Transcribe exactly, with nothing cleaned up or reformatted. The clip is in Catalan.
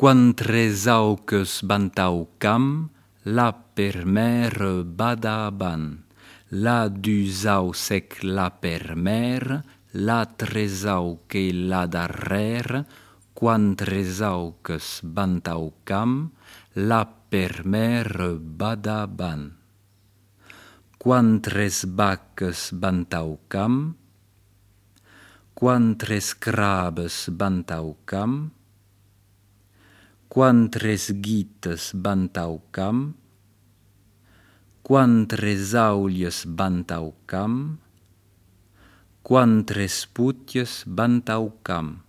Quan tres auques bantau cam, la per mer bada ban. La dus au sec la per mer, la tres auque la darrere. Quan tres auques bantau cam, la per mer bada ban. Quan tres vaques bantau cam, quan tres crabes bantau cam, quan tres ghites bantau cam, quan tres aulies bantau cam, quan tres putias bantau cam.